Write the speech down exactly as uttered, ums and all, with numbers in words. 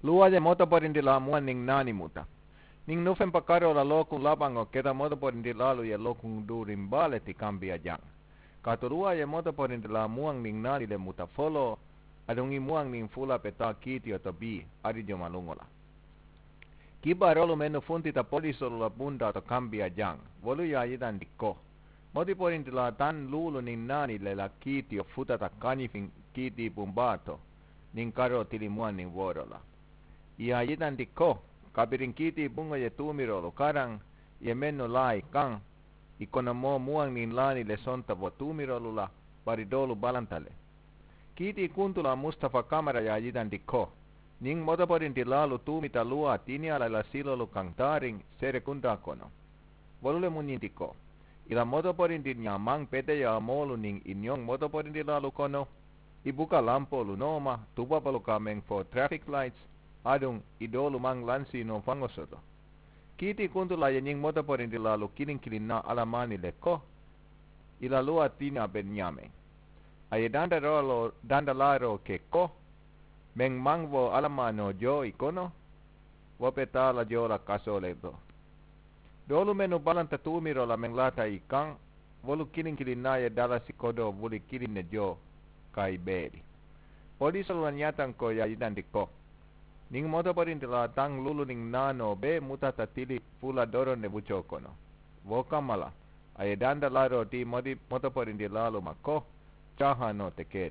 Luwa ye motoporinti la muwan nin nani muta. Nin nufempa karo la lokun labango keta motoporinti lalu ye lokun durin bale ti kambia yan. Katu luwa ye motoporinti la muwan nin nani le muta folo, adun i muwan nin fula pe ta kiti oto bi, ari yo malungo la. Kiba rolu menu funti ta polisolu la bunda oto kambia yan. Wolu ya yitan ti ko. Motoporinti la tan lulu nin nani le la kiti o futa ta kanifin kiti bumbato. Nin karo tili muwan nin woro la. I ya yitan ti ko, kabirin kiti bungo ye tumirolu karan, ye menu la i kan, i kono mo muwan nin lani le sonta bo tumirolu la, bari dolu balanta le. Kiti kuntu la mustafa kamara ya yitan ti ko. Nin motoporinti lalu tumita luwa tinia la la silolu kan tarin, sere kunda kono. Wolu le muñin ti ko. I la motoporinti ña man pete ya molu nin i ñon motoporinti lalu kono. I buka lampolu noma, tubabalu ka men fo traffic lights, adun i dolu man lansi no fango soto. Kiti kuntu la ye ñin motoporinti lalu kilin kilin na alamani le ko. I la luwa tinia ben ñamen. A ye danda rolo danda laro ke ko. Men man wo alamano yo i kono. Wo pe tala yo la kaso le do. Dolu menu balanta tumiro la men lata i kan. Wolu kilin kilin na ye dala si kodo wuli kilin ne yo. Kai beli. Polisolu la ñatan ko ya yitan ti ko. Nin motoporinti la tan lulu nin nano be mutata tili fula doron ne bucho kono. Wo kamala. A ye danda laro ti modi motoporinti lalu ma ko. Chaha no te keri.